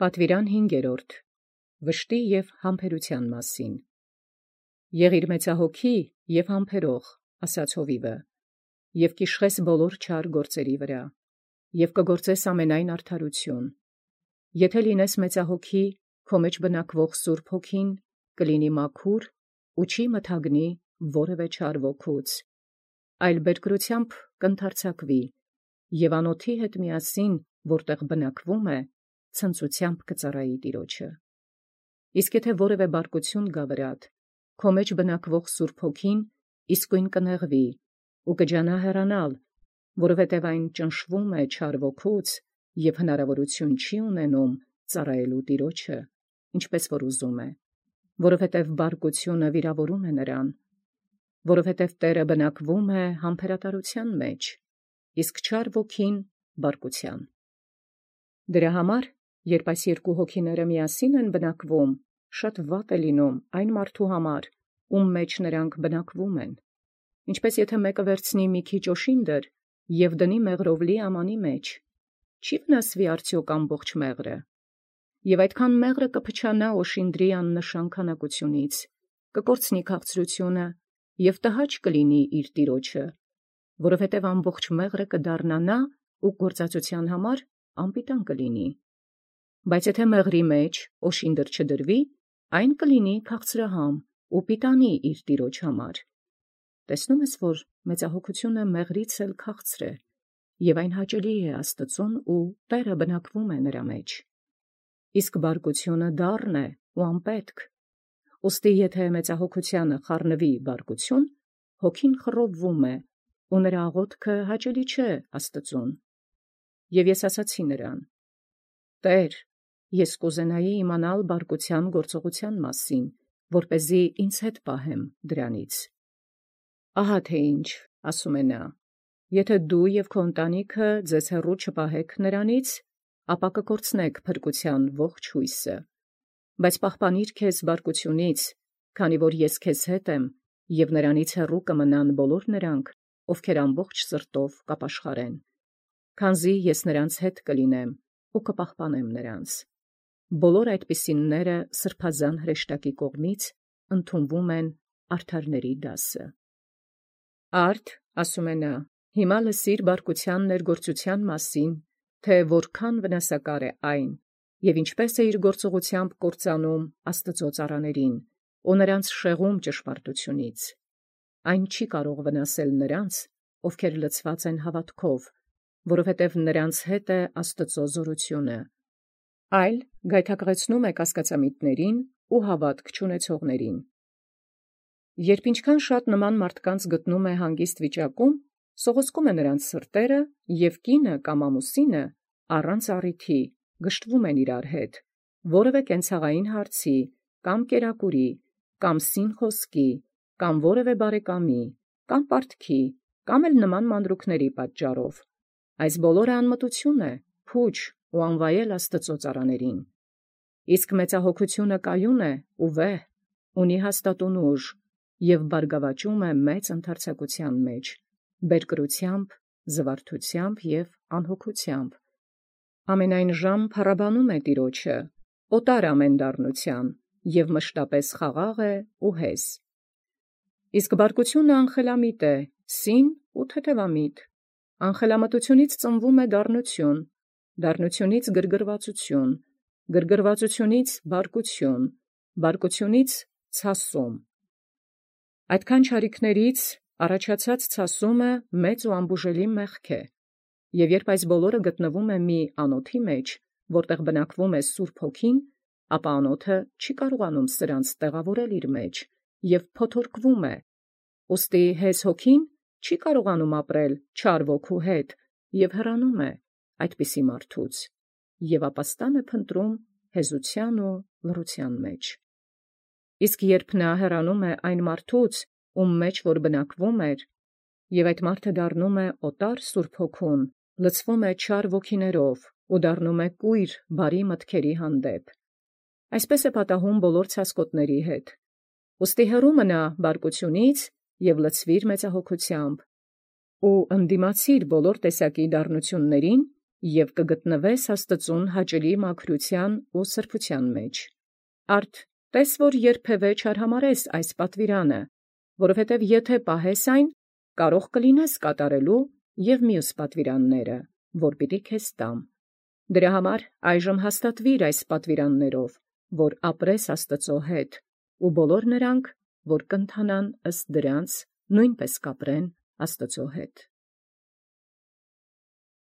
Պատվիրան 5. Վշտի և համբերութեան մասին։ Եղիր մեծահոգի և համբերող, ասաց հովիվը, և կիշխես բոլոր չար գործերի վրա, և կգործես ամենայն արդարություն։ Եթե լինես մեծահոգի, քո մեջ բնակվող Սուրբ Հոգին կլինի մաքուր ու չի մթագնի որևէ չար ոգուց, այլ բերկրությամբ կընդարձակվի և անոթի հետ միասին, որտեղ բնակվում է, ցնծությամբ կծառայի Տիրոջը։ Իսկ եթե որևէ բարկություն գա վրադ, քո մեջ բնակվող Սուրբ Հոգին իսկույն կնեղվի ու կջանա հեռանալ, որովհետև այն ճնշվում է չար ոգուց և հնարավորություն չի ունենում ծառայելու Տիրոջը, ինչպես որ ուզում է, որովհետև բարկությունը վիրավորում է նրան, որովհետև Տերը բնակվում է համբերատարության մեջ, իսկ չար ոգին բարկության։ Դրա համար, երբ այս երկու հոգիները միասին են բնակվում, շատ վատ է լինում այն մարդու համար, ում մեջ նրանք բնակվում են, ինչպես եթե մեկը վերցնի մի քիչ օշինդր և դնի մեղրով լի ամանի մեջ, չի վնասվի արդյոք ամբողջ մեղրը, և այդքան մեղրը կփչանա օշինդրի աննշան քանակությունից, կկորցնի քաղցրությունը և տհաճ կլինի իր Տիրոջը, որովհետև ամբողջ մեղրը կդառնանա ու գործածության համար անպիտան կլինի։ Բայց եթե մեղրի մեջ օշինդր չդրվի, այն կլինի քաղցրահամ ու պիտանի իր Տիրոջ համար։ Տեսնում ես, որ մեծահոգությունը մեղրից էլ քաղցր է, և այն հաճելի է Աստծուն ու Տերը բնակվում է նրա մեջ։ Իսկ բարկությունը դառն է ու անպետք։ Ուստի եթե մեծահոգությանը խառնվի բարկություն, հոգին խռովվում է, ու նրա աղոթքը հաճելի չէ Աստծուն։ Եվ ես ասացի նրան. «Տեր, ես կուզենայի իմանալ բարկության գործողության մասին, որպեսզի ինձ հետ պահեմ դրանից»։ Ահա թե ինչ, ասում է նա. «Եթե դու և քո ընտանիքը ձեզ հեռու չպահեք նրանից, ապա կկորցնեք փրկության ողջ հույսը։ Բայց պահպանիր քեզ բարկությունից, քանի որ ես քեզ հետ եմ, և նրանից հեռու կմնան բոլոր նրանք, ովքեր ամբողջ սրտով կապաշխարեն, քանզի ես նրանց հետ կլինեմ ու կպահպանեմ նրանց։ Բոլոր այդպիսինները սրբազան հրեշտակի կողմից ընդունվում են արդարների դասը»։ Արդ, ասում է նա, հիմա լսիր բարկության ներգործության մասին, թե որքան վնասակար է այն, և ինչպես է իր գործողությամբ կործանում Աստծո ծառաներին ու նրանց շեղում ճշմարտությունից։ Այն չի կարող վնասել նրանց, ովքեր լցված են հավատքով, որովհետև նրանց հետ է Աստծո զորությունը, այլ գայթակղեցնում է կասկածամիտներին ու հավատք չունեցողներին։ Երբ ինչքան շատ նման մարդկանց գտնում է հանգիստ վիճակում, սողոսկում է նրանց սրտերը, և կինը կամ ամուսինը առանց առիթի գժտվում են իրար հետ, որևէ կենցաղային հարցի, կամ կերակուրի, կամ սին խոսքի, կամ որևէ բարեկամի, կամ պարտքի, կամ էլ նման մանրուքների պատճառով։ Այս բոլորը անմտություն է, փուչ ու անվայել Աստծո ծառաներին։ Իսկ մեծահոգությունը կայուն է ու վեհ, ունի հաստատուն ուժ և բարգավաճում է մեծ ընդարձակության մեջ, բերկրությամբ, զվարթությամբ և անհոգությամբ։ Ամենայն փառաբանում է Տիրոջը, օտար ամեն դառնության, և մշտապես խաղաղ է ու հես։ Իսկ բարկությունը անխելամիտ է, սին ու թեթևամիտ։ Անխելամտությունից ծնվում է դառնություն, դառնությունից գրգռվածություն, գրգռվածությունից բարկություն, բարկությունից ցասում։ Այդքան չարիքներից առաջացած ցասումը մեծ ու անբուժելի մեղք է, և երբ այս բոլորը գտնվում է մի անոթի մեջ, որտեղ բնակվում է Սուրբ Հոգին, ապա անոթը չի կարողանում սրանց տեղավորել իր մեջ և փոթորկվում է։ Ուստի հես Հոգին չի կարողանում ապրել չար ոգու հետ և հեռանում է այդպիսի մարդուց և ապաստան է փնտրում հեզության ու լռության մեջ։ Իսկ երբ նա հեռանում է այն մարդուց, ում մեջ որ բնակվում էր, և այդ մարդը դառնում է օտար Սուրբ Հոգուն, լցվում է չար ոգիներով ու դառնում է կույր բարի մտքերի հանդեպ, այսպես է պատահում բոլոր ցասկոտների հետ։ Ուստի հեռու մնա բարկությունից և լցվիր մեծահոգությամբ, ու ընդդիմացիր բոլոր տեսակի դառնություններին և կգտնվես Աստուծուն հաճելի մաքրութեան ու սրբութեան մեջ։ Արդ տես որ երբևէ չարհամարես այս պատուիրանը, որովհետև եթէ պահես այն, կարող կլինես կատարելու և մյուս պատուիրանները, որ պիտի քեզ տամ։ Դրա համար այժմ հաստատվիր այս պատուիրաններով, որ ապրես Աստուծոյ հետ, ու բոլոր նրանք, որ կընթանան ըստ դրանց, նոյնպէս կապրեն Աստուծոյ հետ։